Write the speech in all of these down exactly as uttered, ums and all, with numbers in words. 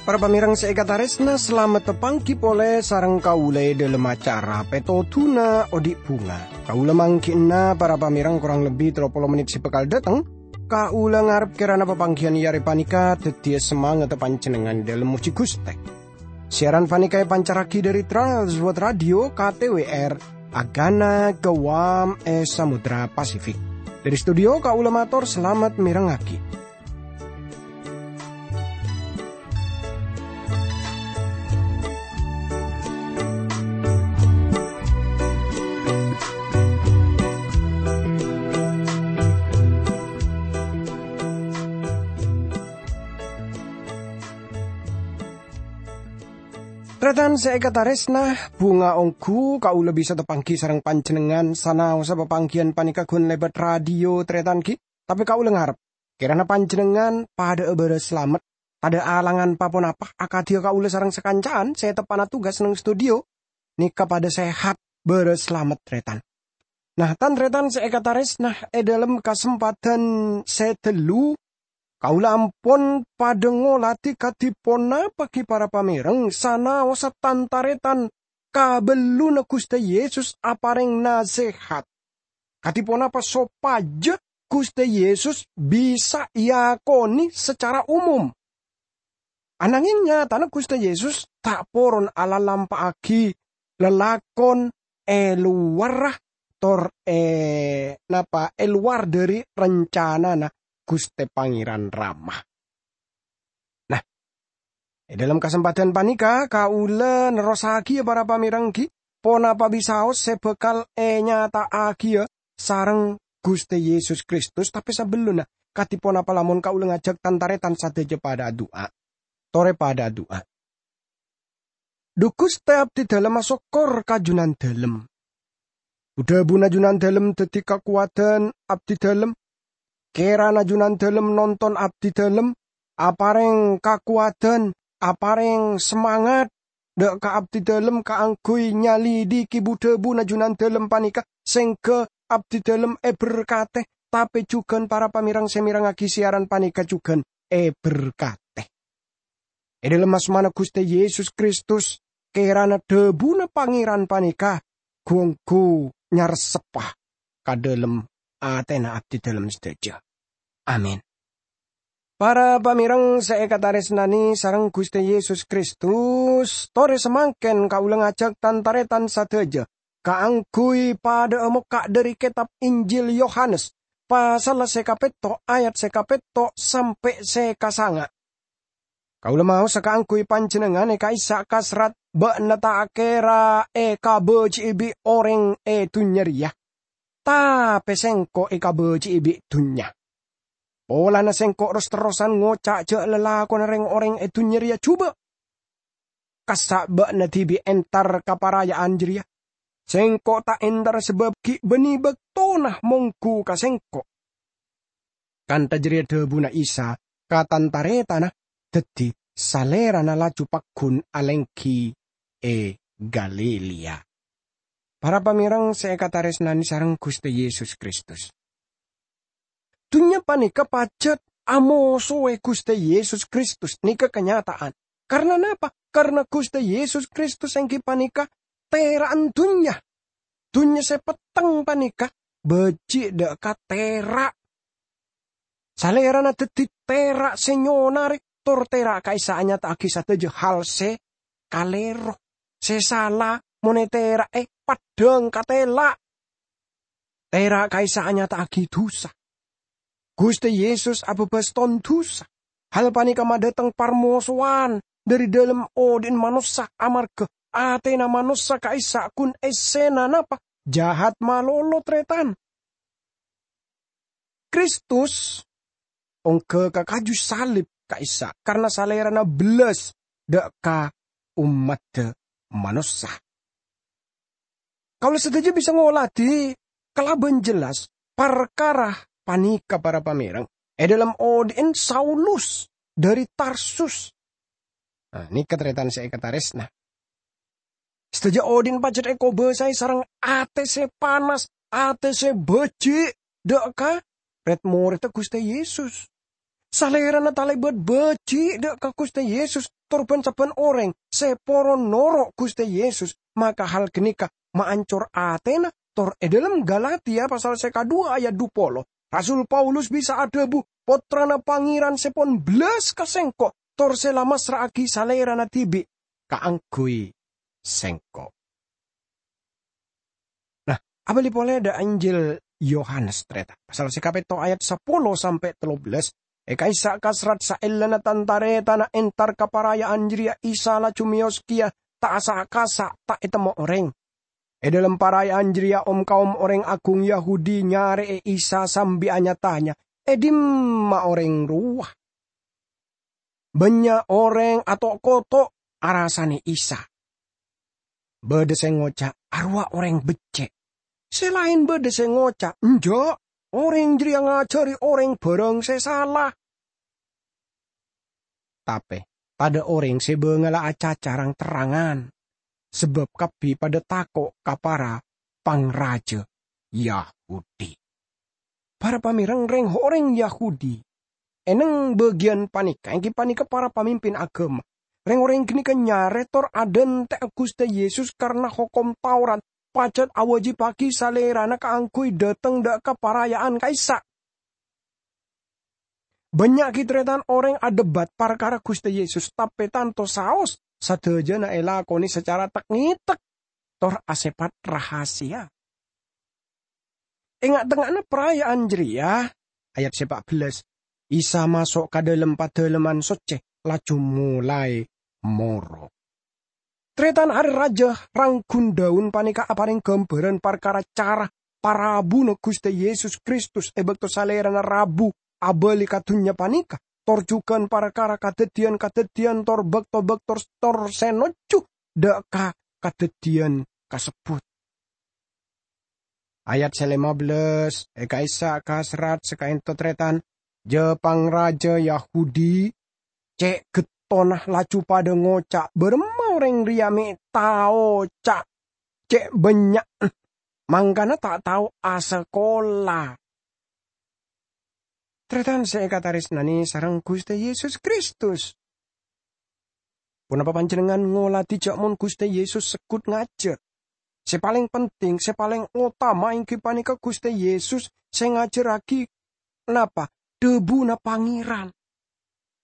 Para pamèrèng sè èkatarèsna, salamet tapangghi polè sareng kaulâ è dhâlem acara Pètodhuna Odi' Bhunga. Kaulâ mangghi'na para pamèrèng korang lebbi tello polo mennit sè bhâkal dâteng. Kaulâ ngarep kèrana papangghiyân è arè panèka dhâddhiyâ samangatta panjhennengngan è dhâlem mojhi Ghustè. Siaran panèka èpancarraghi dhâri Trans World Radio K T W R, Agana Guam è Samudra Pasifik. Dhâri studio kaulâ mator salamet mèrengngaghi. Tarètan sè èkatarèsna, bhunga ongghu kaulâ bisa tapangghi sareng panjhennengngan sanaossa papangghiyân panèka ghun lèbât radio, tarètan, ghi. Tapè kaulâ ngarep, kèrana panjhennengngan padhâ'â bârâs salamet, tadhâ' alangan pa-ponapa, akadhiyâ kaulâ sareng sakanca'an sè teppa'na tugas neng studio, nèka padhâ sehat bârâs salamet, tarètan. Nah, tan-tarètan sè èkatarèsna, è dhâlem kasempadhân sè ghâllu, kaulâ ampon padhâ ngolatè kadhi ponapa ghi para pamèrèng sanaossa tan-tarètan kabelluna Ghustè Yesus aparèng nasehat. Kadhi ponapa sopajâ Ghustè Yesus bisa èakonè sacara umum? Anangèng nyatana Ghustè Yesus ta' poron alalampa'aghi lalakon è lowarra tor è, napa, è lowar dhâri rancanana Ghustè Pangèran Rama. Nah, è dhâlem kasempadhân panèka, kaulâ nerrossaghiyâ para pamèrèng ghi, ponapa bisaos sè bhâkal ènyata'aghiyâ sareng Ghustè Yesus Kristus, tapè sabellunna, kadhi ponapa lamon kaulâ ngajhâk tan-tarètan sadhâjâ padhâ adu'a? Torè padhâ adu'a. Dhu Ghustè, abdhidhâlem asokkor ka Junandhâlem. Bhu-dhâbhuna Junandhâlem dhâddhi kakowadhân abdhidhâlem. Kèrana Junandhâlem nonton abdhidhâlem, aparèng kakowadhân, aparèng samangat dhâ' ka abdhidhâlem kaangghuy nyalidhiki bhu-dhâbhuna Junandhâlem panèka, sèngghâ abdhidhâlem èberkatè, tapè jhughân para pamèrèng sè mèrengngaghi siaran panèka jhughân èberkatè. È dhâlem asmana Ghustè Yesus Kristus, kèrana dhâbhuna Pangèran panèka ghu-ongghu nyarseppa ka dhâlem atèna abdhidhâlem sadhâjâ. Amin. Para pamèrèng sè èkatarèsnanè sareng Ghustè Yesus Kristus, torè samangkèn kaulâ ngajhâk tan-tarètan sadhâjâ kaangghuy padhâ'â mokka' dhâri kètab Injil Yohanes, pasalla sè kapètto', ayat sè kapètto' sampè' sè kasanga'. Kaulâ maosa kaangghuy panjhennengngan è ka'issa' kasrat bâ'na ta' kèra èkabâji'i bi' orèng è dhunnya rèya, tapè sèngko' èkabâji'i bi' dhunnya. Polana sèngko' ros-terrosan ngoca' jâ' lalakonna rèng-orèng è dhunnya rèya jhubâ'. Kassa' bâ'na dhibi' entar ka paraya'an jârèya. Sèngko' ta' entar sabâb ghi' bânnè bâktona mongghu ka sèngko'. Kantha jârèya dhâbuna Isa ka tan-tarètanna, dhâddhi Salèrana laju pagghun alèngghi è Galilea. Para pamèrèng sè èkatarèsnanè sareng Ghustè Yesus Kristus. Dhunnya panèka pajhât amosoè Ghustè Yesus Kristus, nèka kanyata'an. Karna napa? Karna Ghustè Yesus Kristus èngghi panèka tèra'an dhunnya. Dhunnya sè petteng panèka bâji' dhâ' ka tèra'. Salèrana dhâddhi tèra' sè nyonarè, tor tèra' ka'issa' anyata'aghi sadhâjâ hal sè kalèro, sè sala, mon ètèra'è paddhâng ka tèla'. Tèra' ka'issa' anyata'aghi dhusa. Ghustè Yesus abâbâs ton dhusa. Hal panèka madhâteng parmosowan dhâri dhâlem odi'na manossa amarghâ atèna manossa ka'issa' ghun èssèna napa? Jahat malolo, tarètan. Kristus ongghâ ka kaju salib ka'issa' karna Salèrana bellas dhâ' ka ommaddhâ manossa. Kaulâ sadhâjâ bisa ngolatè kalabân jelas parkara panèka, para pamèrèng, è dhâlem odi'na Saulus dhâri Tarsus. Nah, nèka tarètan sè èkatarèsna. Sadhâjâ odi'na pajhât èkobâsaè sareng atè sè panas, atè sè bhâji' dâ' ka red-moredda Ghustè Yesus. Salèrana talèbât bhâji' dâ' ka Ghustè Yesus tor bân-sabbhân orèng sè poron noro' Ghustè Yesus, maka hal ghânèka maancor atèna, tor è dhâlem Galatia pasal sè kaduwâ ayat dhu polo, Rasul Paulus bisa adhâbu, "Pottrana Pangèran sè pon bellas ka sèngko', tor sè la massra'aghi Salèrana dhibi' kaangghuy sèngko'." Nah, abâli polè dâ' Injil Yohanes, tarètan. Pasal sè kapètto ayat sapolo sampè' tello bellas. È ka'issa' kasrat saellana tan-tarètanna entar ka paraya'an jârèya, Isa laju mèyos kèya, ta' sa-kasa' ta' ètemmo orèng. È dhâlem paraya'an jârèya, om-kaom orèng agung Yahudi nyarè'è Isa sambi anya-tanya, "È dimma orèng rowa?" Bânnya' orèng ato'-koto' arasanè Isa. Bâdâ sè ngoca', "Arowa orèng beccè'." Sè laèn bâdâ sè ngoca', "Enjâ', orèng jârèya ngajhâri orèng bhârâng sè sala." Tapè tadâ' orèng sè bângalla acaca rang-terrangan, sabâb kabbhi padâ tako' ka para pangrajâ Yahudi. Para pamèreng, rèng-orèng Yahudi è neng bâgiyân panèka, èngghi panèka para pamimpin aghâma. Rèng-orèng ghânèka nyarè tor adhânte'a Ghustè Yesus karana hokom Taurat pajhât awâjibhâghi Salèrana kaangghuy dâteng dâ' ka paraya'an ka'issa'. Bânnya' ghi' tarètan orèng adhebât parkara Ghustè Yesus, tapè tanto saos sadhâjâna èlakonè sacara tek-ngètek tor asèpat rahasia. È nga'-tengnga'anna paraya'an jârèya, ayat sè pa' bellas, Isa maso' ka dhâlem Padâlemman Soccè, laju molaè moro. Tarètan, arè rajâ rang ghun-dâun panèka aparèng ghâmbhârân parkara cara parabuna Ghustè Yesus Kristus è bâkto Salèrana rabu abâli ka dhunnya panèka, tor jhughân parkara kadhâddhiyân-kadhâddhiyân tor bâkto-bâkto tor sè nojjhu dâ' ka kadhâddhiyân kasebbhut. Ayat sè lèma bellas, è ka'issa' kasrat sè kaènto tarètan, jâ-pangrajâ Yahudi, cè' gettonna laju padâ ngoca', "Bârâmma orèng rèya mè' taoca' cè' bânnya'na, mangkana ta' tao asakola." Tarètan sè èkatarèsnanè sareng Ghustè Yesus Kristus. Ponapa panjhennengngan ngoladhi jâ' mon Ghustè Yesus segghut ngajhâr? Sè palèng penting, sè palèng otama èngghi panèka Ghustè Yesus sè ngajhârraghi napa? Dhâbuna Pangèran.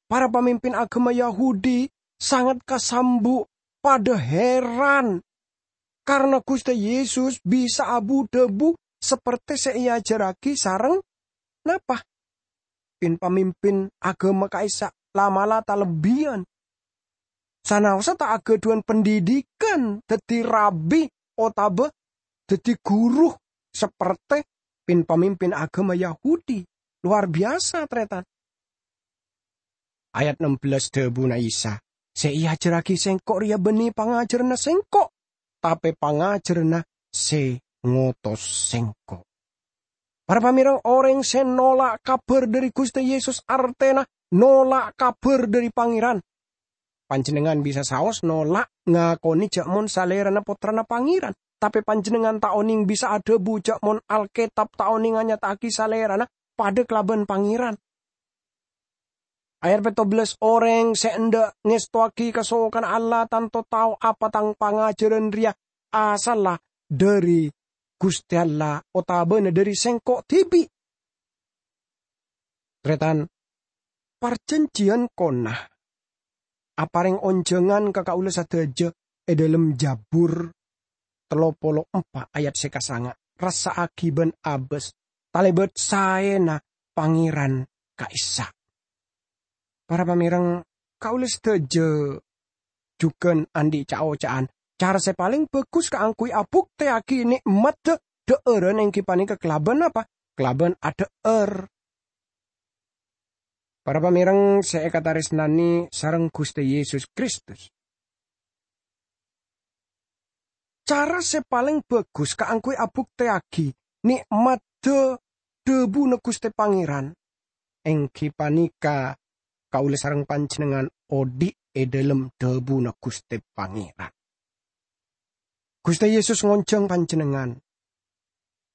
Para pamimpin aghâma Yahudi sanget kasambu', padâ heran, karana Ghustè Yesus bisa abu-dhâbu sapertè sè èajhârraghi sareng napa? Pin-pamimpin aghâma ka'issa' la'-mala' talebbiyân. Sanaossa ta' aghâdhuwân pendidikan dhâddhi rabi otabâ dhâddhi ghuru sapertè pin-pamimpin aghâma Yahudi. Lowar biyasa, tarètan. Ayat ennem bellas dhâbuna Isa, "Sè èajhârraghi Sèngko' rèya bânnè pangajhârânna Sèngko', tapè pangajhârânna sè ngotos Sèngko'." Para pamèreng, orèng sè nola' kabhâr dhâri Ghustè Yesus artèna nola' kabhâr dhâri Pangèran. Panjhennengngan bisa saos nola' ngakonè jâ' mon Salèrana Pottrana Pangèran, tapè panjhennengngan ta' onèng bisa adhâbu jâ' mon Alkètab ta' onèng anyata'aghi Salèrana padâ kalabân Pangèran. Ayat pètto bellas, "Orèng sè endâ' ngèstowaghi kasokanna Allah tanto tao apa tang pangajhârân rèya asalla dhâri Ghustè Allah otabâna dhâri Sèngko' dhibi'." Tarètan, parjhânjhiyân kona aparèng onjhângan ka kaulâ sadhâjâ è dhâlem Jabur tello polo empa' ayat sè kasanga', "Rassa'aghi bân abâs, talèbât saèna Pangèran ka'issa'." Para pamèreng, kaulâ sadhâjâ jhughân andi' ca'-oca'an, cara sè palèng bhâghus kaangghuy abuktèyaghi nè'matta dhâ'ârân èngghi panèka kalabân apa? Kalabân adhâ'âr. Para pamèreng sè èkatarèsnanè sareng Ghustè Yesus Kristus. Cara sè palèng bhâghus kaangghuy abuktèyaghi nè'matta dhâbuna Ghustè Pangèran, èngghi panèka kaulâ sareng panjhennengngan odi' è dhâlem dhâbuna Ghustè Pangèran. Ghustè Yesus ngonjhâng panjhennengngan.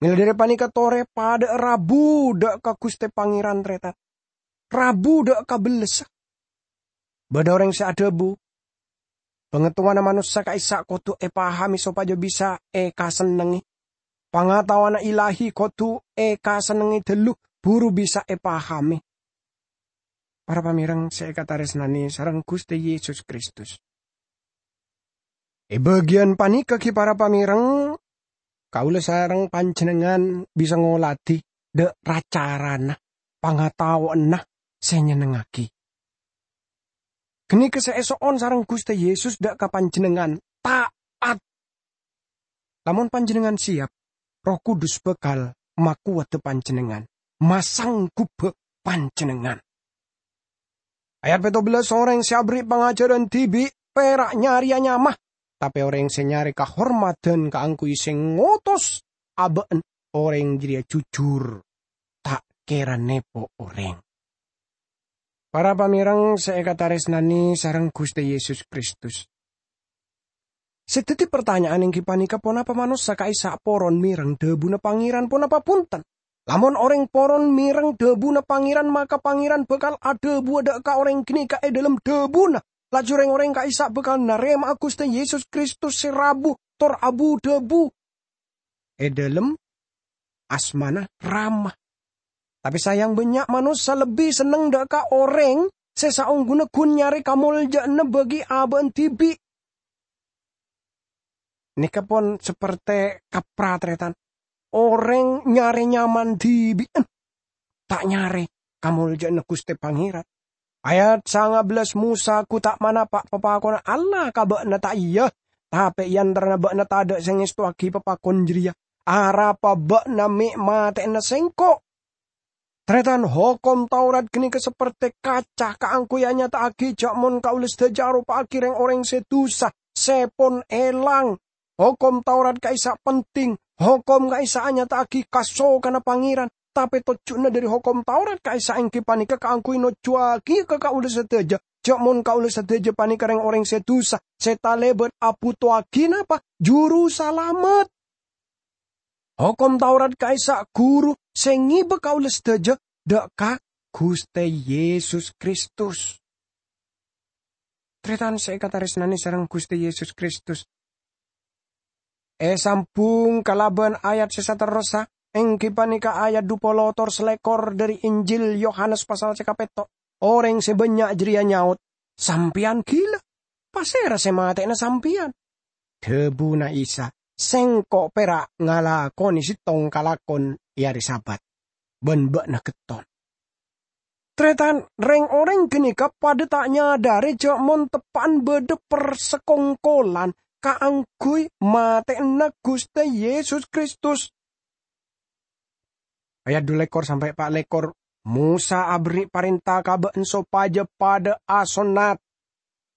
Mèla dhâri panèka torè padhâ'â rabu dhâ' ka Ghustè Pangèran, tarètan. Rabu dhâ' ka bellessa. Bâdâ orèng sè adhâbu, "Bângatowana manossa ka'issa' kodhu èpahamè sopajâ bisa èkasennengngè. Pangataowanna ilahi kodhu èkasennengngè dhâllu, buru bisa èpahamè." Para pamèreng sè èkatarèsnanè sareng Ghustè Yesus Kristus. È bâgiyân panèka ghi, para pamèreng, kaulâ sareng panjhennengngan bisa ngoladhi dhâ'-ra-carana pangataowanna sè nyennengngaghi. Ghânèka sè èso'on sareng Ghustè Yesus dhâ' ka panjhennengngan, ta'at. Lamon panjhennengngan siyap, Erroh Kudus bhâkal makowadhâ panjhennengngan, masangghubbhâ panjhennengngan. Ayat pètto bellâs, "Orèng sè aberri' pangajhârân dhibi' pèra' nyarèya nyama, tapè orèng sè nyarè kahormadhân kaangghuy sè ngotos abâ'na orèng jârèya jujur, ta' kèra nèpo orèng." Para pamèreng sè èkatarèsnanè sareng Ghustè Yesus Kristus. Sè dhâddhi partanya'an èngghi panèka, ponapa manossa ka'issa' poron mèreng dhâbuna Pangèran ponapa bhunten? Lamon orèng poron mèreng dhâbuna Pangèran, maka Pangèran bhâkal adhâbuwâ dhâ' ka orèng ghânèka è dhâlem dhâbuna. Laju rèng-orèng ka'issa' bhâkal narèma'a Ghustè Yesus Kristus sè rabu tor abu-dhâbu è dhâlem asmana Rama. Tapè sayang, bânnya' manossa lebbi senneng dhâ' ka orèng sè saongghuna ghun nyarè kamoljâ'ânna bagi abâ'na dhibi'. Nèka pon sapertè kapra, tarètan. Orèng nyarè nyamana dhibi'ân, ta' nyarè kamoljâ'ânna Ghustè Pangèran. Ayat sanga bellâs, "Mosa ghu ta' manapa' papakonna Allah ka bâ'na, ta' iyâ? Tapè è antarana bâ'na tadâ' sè ngèstowaghi papakon jârèya. Arapa bâ'na mè' matè'ana sèngko'?" Tarètan, hokom Taurat ghânèka sapertè kaca kaangghuy anyata'aghi jâ' mon kaulâ sadhâjâ aropa'aghi rèng-orèng sè dusa, sè pon èlang. Hokom Taurat ka'issa' penting, hokom ka'issa' anyata'aghi kasokanna Pangèran, tapè tojjhuna dhâri hokom Taurat ka'issa' èngghi panèka kaangghuy nojjhuwaghi ka kaulâ sadhâjâ, jâ' mon kaulâ sadhâjâ panèka rèng-orèng sè dusa, sè talèbât abhutowaghi napa? Juru Salamet. Hokom Taurat ka'issa' ghuru sè ngèbâ kaulâ sadhâjâ dhâ' ka Ghustè Yesus Kristus. Tarètan sè èkatarèsnanè sareng Ghustè Yesus Kristus. Èsambhung kalabân ayat sè saterrossa, èngghi panèka ayat dhu polo tor salèkor dhâri Injil Yohanes pasal sè kapètto'. Orèng sè bânnya' jârèya nyaot, "Sampèyan ghilâ! Pasèra sè matè'ana sampèyan?" Dhâbuna Isa, "Sèngko' pèra' ngalakonè sèttong kalakon è arè Sabat, bân bâ'na ghetton." Tarètan, rèng-orèng ghânèka padâ ta' nyadhârè jâ' mon teppa'an bâdâ parsakongkolan kaangghuy matè'ana Ghustè Yesus Kristus. Ayat dhu lèkor sampè' pa' lèkor, "Mosa aberri' parènta ka bâ'na sopajâ padâ asonnat.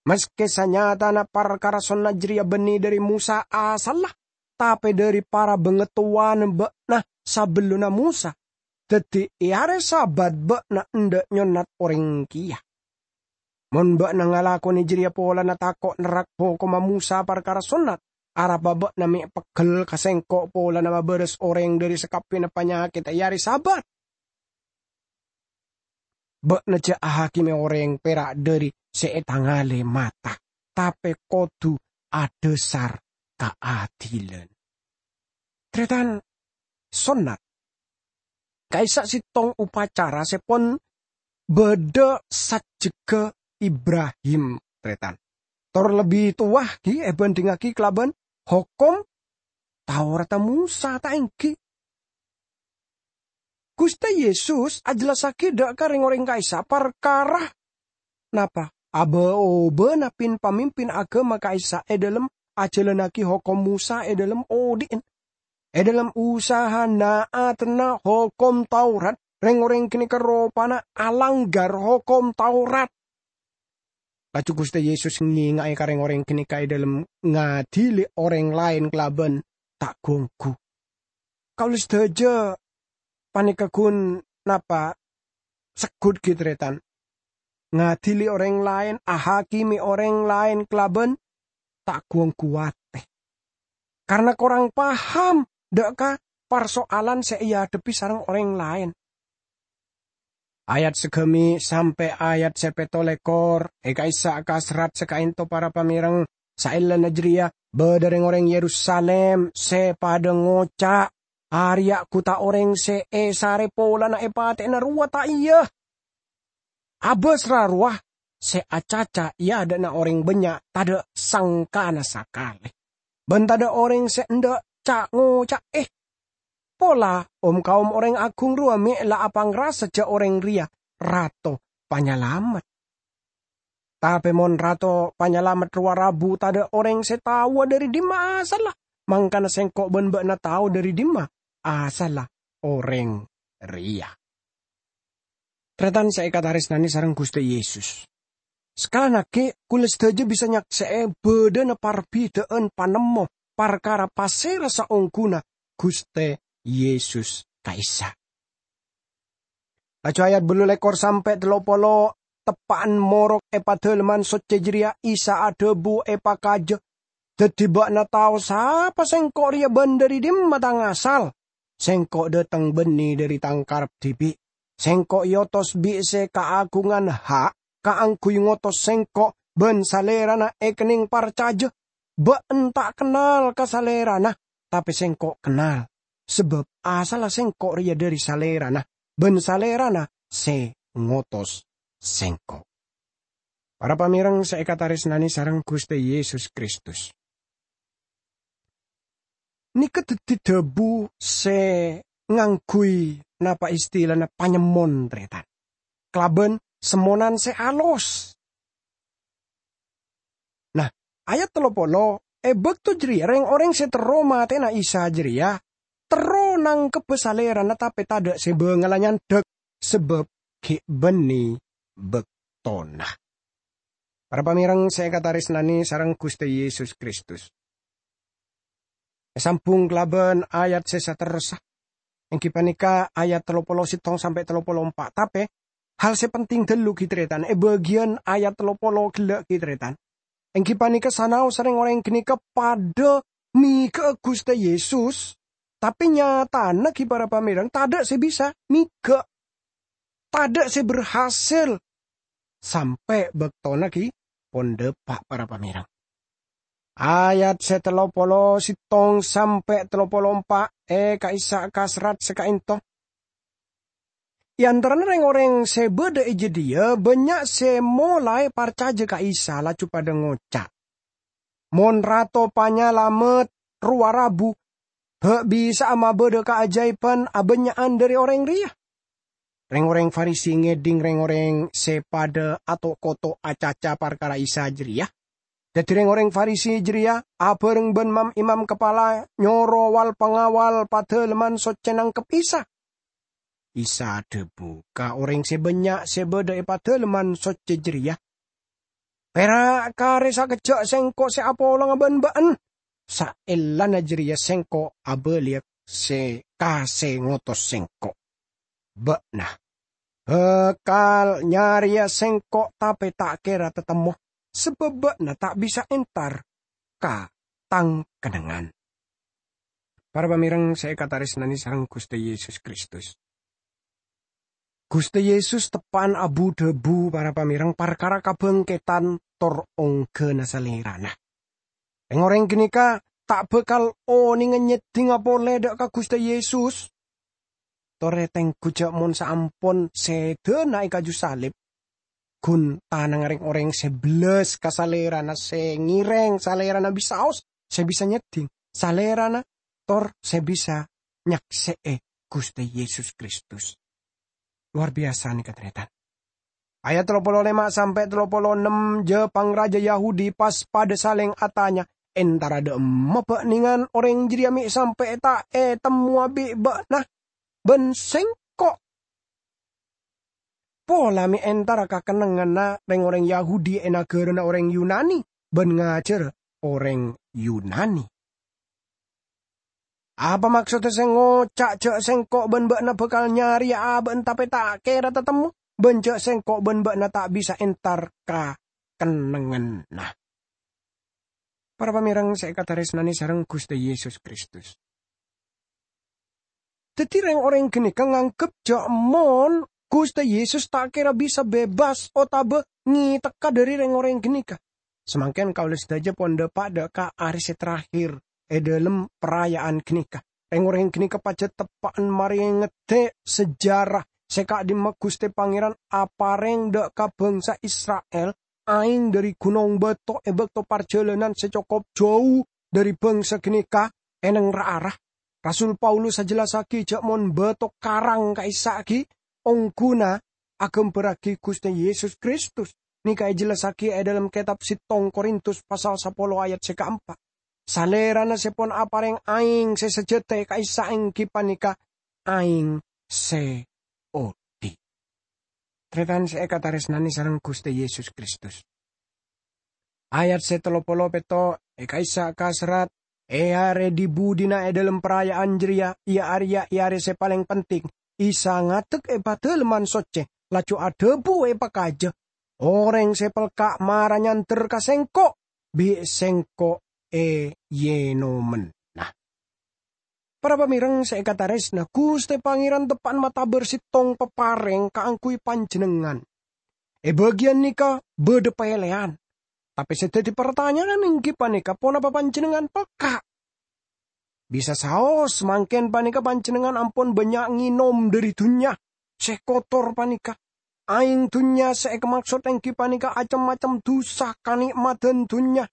Maskè sanyatana parkara sonnat jârèya bânnè dhâri Mosa asalla, tapè dhâri para bangatowana bâ'na sabellunna Mosa. Dhâddhi, è arè Sabat bâ'na endâ' nyonnat orèng kèya. Mon bâ'na ngalakonè jârèya polana tako' nerrak hokomma Mosa parkara sonnat, arapa bâ'na mè' peggel ka sèngko' polana mabârâs orèng dhâri sakabbiyanna panyakèdhâ è arè Sabat? Bâ'na jâ' ahakimè orèng pèra' dhâri sè ètangalè mata, tapè kodhu adhâsar kaadilan." Tarètan, sonnat ka'issa' sèttong upacara sè pon bâdâ sajjhegghâ Ibrahim, tarètan. Tor lebbi towa ghi èbhândhingngaghi kalabân hokom Tauratta Mosa, ta' èngghi? Ghustè Yesus ajhellassaghi dhâ' ka rèng-orèng ka'issa' parkara napa? Abâ-obâna pin-pamimpin aghâma ka'issa' è dhâlem ajhâlannaghi hokom Mosa è dhâlem odi'na. È dhâlem usahana atenna hokom Taurat, rèng-orèng ghânèka ropana alanggar hokom Taurat. Laju Ghustè Yesus ngènga'è ka rèng-orèng ghânèka è dhâlem ngadili orèng laèn kalabân ta' gu-ongghu. Kaulâ sadhâjâ panèka ghun napa segghut ghi, tarètan. Ngadili orèng laèn, ahakimi orèng laèn kalabân ta' gu-ongghu atè. karna korang paham dha' ka parsoalan se eadhebbi sareng oreng laen. Ayat sagami sampe' ayat se petto lekor e ka'issa' ka serrat se ka'ento para pamereng. Saellana jareya badha reng-oreng Yerusalem se padha ngoca', "Areya' guta oreng se esare polana epateyana rowa, ta' iya? Abas ra rowa se acaca e adha'na oreng bannya' tadha' sangkana sakale, ban tadha' oreng se endha' ca'-ngoca'e. Pola om-kaom oreng agung rowa me' la apangrasa ja' oreng reya Rato Panyalamet." Tape mon Rato Panyalamet rowa rabu, tadha' oreng se taowa dhari dimma asalla, mangkana sengko' ban ba'na tao dhari dimma asalla oreng reya. Taretan se ekataresnane sareng Guste Yesus. Sakalannagi, kaula sadaja bisa nyakse'e badhana parbidha'an panemmo parkara pasera saongguna Guste Yesus ka'issa'. Laju ayat ballu lekor sampe' tello polo, teppa'an morok e Padalemman Socce jareya, Isa adhabu epakaja, "Daddi ba'na tao sapa Sengko' reya ban dhari dimma Tang asal. Sengko' dhateng banne dhari Tang karep dibi'. Sengko' eotos bi' se kaagungan ha' kaangguy ngotos Sengko' ban Salerana ekenneng parcaja. Ba'na ta' kennal ka Salerana, tape Sengko' kennal, sabab asalla Sengko' reya dhari Salerana, ban Salerana se ngotos Sengko'." Para pamereng se ekataresnane sareng Guste Yesus Kristus. Neka daddi dhabu se ngangguy napa istilana panyemmon, taretan, kalaban semmonan se alos. Nah, ayat tello polo, e bakto jareya reng-oreng se terro mateyana Isa jareya terro nangkebba Salerana, tape tadha' se bangala nyandhak, sabab gi' banne baktona. Para pamereng se ekataresnane sareng Guste Yesus Kristus. Esambung kalaban ayat se saterrossa, enggi paneka ayat tello polo settong sampe' tello polo empa'. Tape, hal se penting dhallu, gi' taretan, e bagiyan ayat tello polo gella', gi' taretan, enggi paneka sanaossa reng-oreng ganeka padha mega'a Guste Yesus, tape nyatana, gi' para pamereng, tadha' se bisa mega. Tadha' se berhasil sampe' baktona gi' pon dhapa', para pamereng. Ayat se tello polo settong sampe' tello polo empa' e ka'issa' ka serrat se ka'ento. E antarana reng-oreng se badha e jadhiya, bannya' se molae parcaja ka Isa, laju padha ngoca', "Mon Rato Panyalamet rowa rabu, ha' bisa'a mabadha kaajaiban abannya'an dhari oreng reya." Reng-oreng Farisi ngedhing reng-oreng se padha ato'-koto' acaca parkara Isa jareya. Daddi reng-oreng Farisi jareya abareng ban mam-imam kapala nyoro wal-pangawal Padalemman Socce nangkep Isa. Isa adhabu ka oreng se bannya' se badha e Padalemman Socce jareya, "Pera' kare sakejja' Sengko' se apolonga ban ba'na, saellana jareya Sengko' abaliya se, ka se ngotos Sengko'. Ba'na bakal nyareya Sengko', tape ta' kera tatemmo, sabab ba'na ta' bisa entar ka Tang kennengngan." Para pamereng se ekataresnane sareng Guste Yesus Kristus. Guste Yesus teppa'an abu-dhabu, para pamereng, parkara kabangketan tor ongghana Salerana. Reng-oreng ganeka ta' bakal onenga nyeddhinga pole dha' ka Guste Yesus. Tore tenggu ja' mon saampon sedana e kaju salib, gun tanangnga reng-oreng se bellas ka Salerana, se ngereng Salerana bisaos, se bisa nyeddhing Salerana, tor se bisa nyakse'e Guste Yesus Kristus. Luar biyasa neka, taretan. Ayat tello polo lema sampe' tello polo ennem, ja-, pangraja Yahudi pas padha saleng atanya, "Entara dha' emma ba'nengan oreng jareya me' sampe' ta' etemmowa bi' ba'na ban Sengko'? Pola me' entara ka kennengnganna reng-oreng Yahudi e nagarana oreng Yunani ban ngajara oreng Yunani. Apa maksodda se ngoca' ja' Sengko' ban ba'na bakal nyareya aba'na tape ta' kera tatemmo, ban ja' Sengko' ban ba'na ta' bisa entar ka kennengnganna?" Para pamèrèng sè èkatarèsnanè sareng Ghustè Yesus Kristus. Dhâddhi, rèng-orèng ghânèka nganggep jhâ' mon Ghustè Yesus ta' kèra bisa bebas otabâ ngètekka dhâri rèng-orèng ghânèka. Samangkèn kaulâ sadhâjâ pon dâpa' dâ' ka arè sè terakhir è dhâlem paraya'an ghânèka. Rèng-orèng ghânèka pajhât teppa'an marè ngèdhè' sejarah sè ka'dimma Ghustè Pangèran aparèng dâ' ka bhângsa Isra'il aèng dhâri ghunong bâto è bâkto parjhâlânan sè cokop jhâu dhâri bhângsa ghânèka è neng ra-ara. Rasul Paulus ajhellassaghi jhâ' mon bâto karang ka'issa' ghi' ongghuna aghâmbhârraghi Ghustè Yesus Kristus. Nèka èjhellassaghi è dhâlem kètab settong Korintus pasal sapolo ayat sè kaempa'. Salèrana sè pon aparèng aèng sè sajhâtè ka'issa' èngghi panèka aèng sè odi'. Tarètan sè èkatarèsnanè sareng Ghustè Yesus Kristus. Ayat sè tello polo pètto' è ka'issa' kaserrat, è arè dhi-budhina è dhâlem paraya'an jârèya, iyâ arèya è arè sè palèng penting, Isa ngadek è Padâlemman Soccè, laju adhâbu è pakajâ, "Orèng sè pelka' mara nyandher ka Sèngko', bi' Sèngko' èyènomenna." Para pamèrèng sè èkatarèsna, Ghustè Pangèran teppa'an matabâr settong paparèng kaangghuy panjhennengngan. È bâgiyân nèka bâdâ pèlèyan. Tapè sè dhâddhi partanya'an èngghi panèka, ponapa panjhennengngan pelka'? Bisa saos, mangkèn panèka panjhennengngan ampon bânnya' ngènom dhâri dhunnya sè kotor panèka. Aèng dhunnya sè èkamaksod èngghi panèka cem-macem dhusa kanè'madhân dhunnya.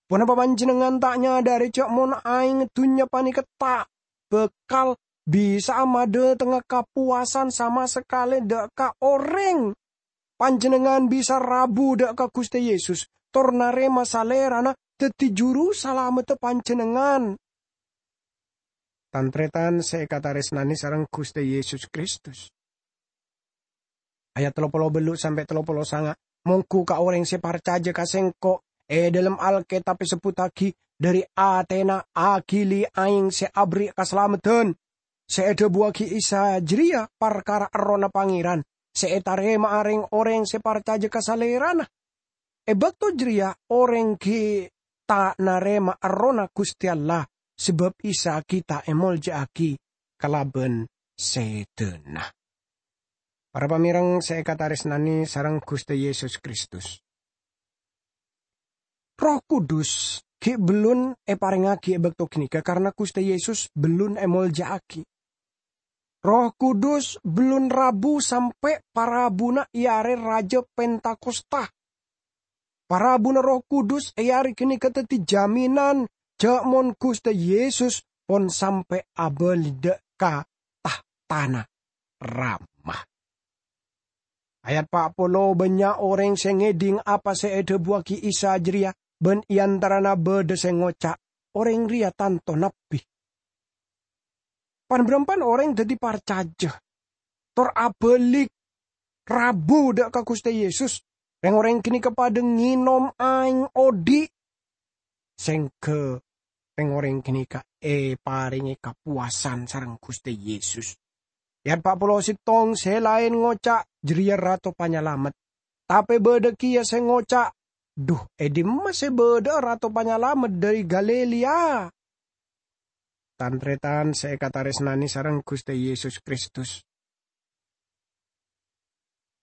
Ponapa panjhennengngan ta' nyadhâri jhâ' mon aèng dhunnya panèka ta' bhâkal bisa'a madhâtengnga kapowasan sama sakalè dâ' ka orèng? Panjhennengngan bisa rabu dâ' ka Ghustè Yesus, tor narèma Salèrana dhâddhi Juru Salameddhâ panjhennengngan. Tan-tarètan sè èkatarèsnanè sareng Ghustè Yesus Kristus. Ayat tello polo bâllu' sampè' tello polo sanga', mongghu ka orèng sè parcajâ ka Sèngko', è dhâlem Alkètab èsebbhuttaghi, "Dhâri atèna aghili aèng sè aberri' kasalameddhân." Sè èdhâbuwâghi Isa jârèya parkara Errohna Pangèran sè ètarèma'a rèng-orèng sè parcajâ ka Salèrana. È bâkto jârèya orèng ghi' ta' narèma Errohna Ghustè Allah, sabâb Isa ghi' ta' èmolja'aghi kalabân sèdhâna. Para pamèrèng sè èkatarèsnanè sareng Ghustè Yesus Kristus. Erroh Kudus ghi' bellun èparèngngaghi è bâkto ghânèka karana Ghustè Yesus bellun èmolja'aghi. Erroh Kudus bellun rabu sampè' parabuna è arè rajâ Pentakosta. Parabuna Erroh Kudus è arè ghânèka dhâddhi jaminan jhâ' mon Ghustè Yesus pon sampè' abâli dâ' ka tahtana Rama. Ayat pa' polo, bânnya' orèng sè ngèdhing apa sè èdhâbuwâghi Isa jârèya, bân è antarana bâdâ sè ngoca', "Orèng rèya tanto nabbhi." Pan-bârâmpan orèng dhâddhi parcajâ, tor abâli rabu dâ' ka Ghustè Yesus. Rèng-orèng ghânèka padâ ngènom aèng odi'. Sèngghâ rèng-orèng ghânèka èparèngè kapowasan sareng Ghustè Yesus. Ayat pa' polo sèttong sè laèn ngoca', "Jârèya Rato Panyalamet." Tapè bâdâ kèya sè ngoca', "Dhu, è dimma sè bâdâ'â Rato Panyalamet dhâri Galilea?" Tan-tarètan sè èkatarèsnanè sareng Ghustè Yesus Kristus.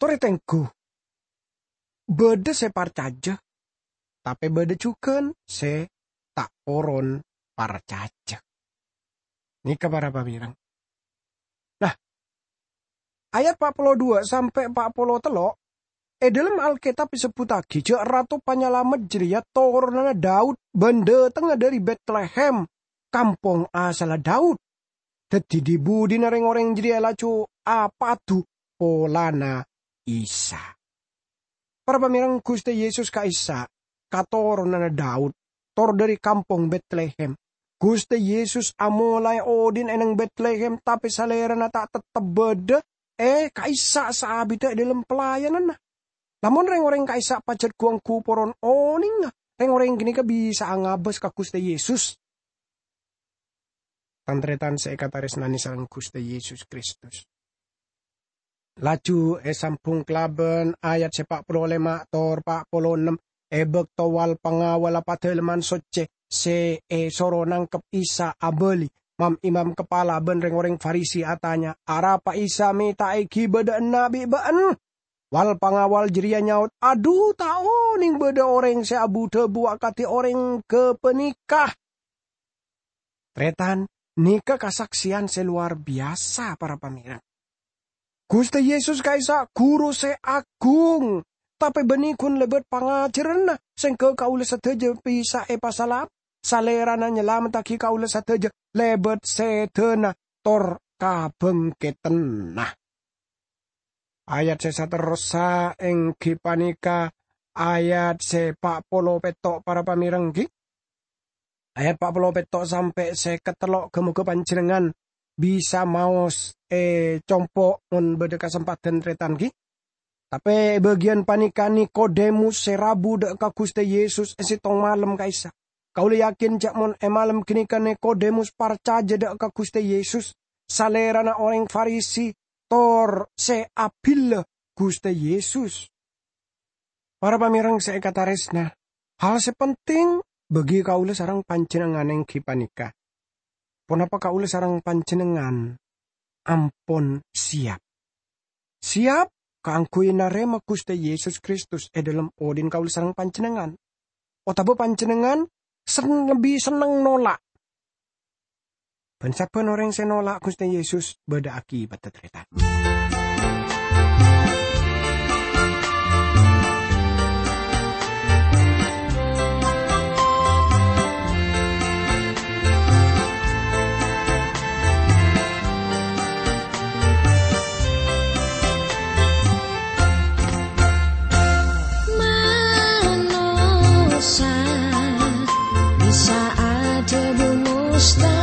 Torè tengghu, bâdâ sè parcajâ, tapè bâdâ jhughân sè ta' poron parcajâ. Nèka para pamèrèng. Nah, ayat pa' polo dua sampè' pa' polo tello', è dhâlem Alkètab èsebbhuttaghi jhâ' Rato Panyalamet jârèya toronanna Daud bân dâtengnga dhâri Betlehem, kampong asalla Daud. Dhâddhi dhi-budhina rèng-orèng jârèya laju apadu polana Isa. Para pamèrèng, Ghustè Yesus ka'issa' katoronanna Daud, tor dhâri kampong Betlehem. Ghustè Yesus amolaè odi'na è neng Betlehem, tapè Salèrana ta' tettep bâdâ è ka'issa' saabiddhâ è dhâlem pelayananna. Lamon rèng-orèng ka'issa' pajhât ghu-ongghu poron onènga, rèng-orèng ghânèka bisa'a ngabâs ka Ghustè Yesus. Tan-tarètan sè èkatarèsnanè sareng Ghustè Yesus Kristus. Laju èsambhung kalabân ayat sè pa' polo lèma' tor pa' polo ennem. E bakto wal-pangawalla Padalemman Socce se esoro nangkep Isa abali, mam-imam kapala ban reng-oreng Farisi atanya, "Arapa Isa meta'agi badha'anna bi' ba'en?" Wal-pangawal jareya nyaot, "Adhu, ta' oneng badha oreng se abu-dhabu akadi oreng gapaneka." Taretan, neka kasakseyan se lowar biyasa, para pamereng. Guste Yesus ka'issa' guru se agung, tape banne gun lebat pangajaranna, sengga kaula sadaja bisa epasalap. Salerana nyalamettagi kaula sadaja lebat sedana tor kabangketenna. Ayat se saterrossa enggi paneka ayat se pa' polo petto', para pamereng, gi. Ayat pa' polo petto' sampe' seket tello', ga-moga panjennengngan bisa maos e compo' mon badha kasempadhan, taretan, gi. Tape e bagiyan paneka Nikodemus se rabu dha' ka Guste Yesus e settong malem ka'issa'. Kaula yakin ja' mon e malem ganeka Nikodemus parcaja dha' ka Guste Yesus, salerana oreng Farisi, tor se abilla Guste Yesus. Para pamereng se ekataresna, hal se penting bagi kaula sareng panjennengngan enggi paneka, ponapa kaula sareng panjennengngan ampon siap? Siap kaangguy narema Guste Yesus Kristus e dhalem odhi'na kaula sareng panjennengngan? Otaba panjennengngan sen-, lebbi senneng nola'? Ban sabban oreng se nola' Guste Yesus badha akibatta, taretan. Manossa bisa adhâbu mustahil.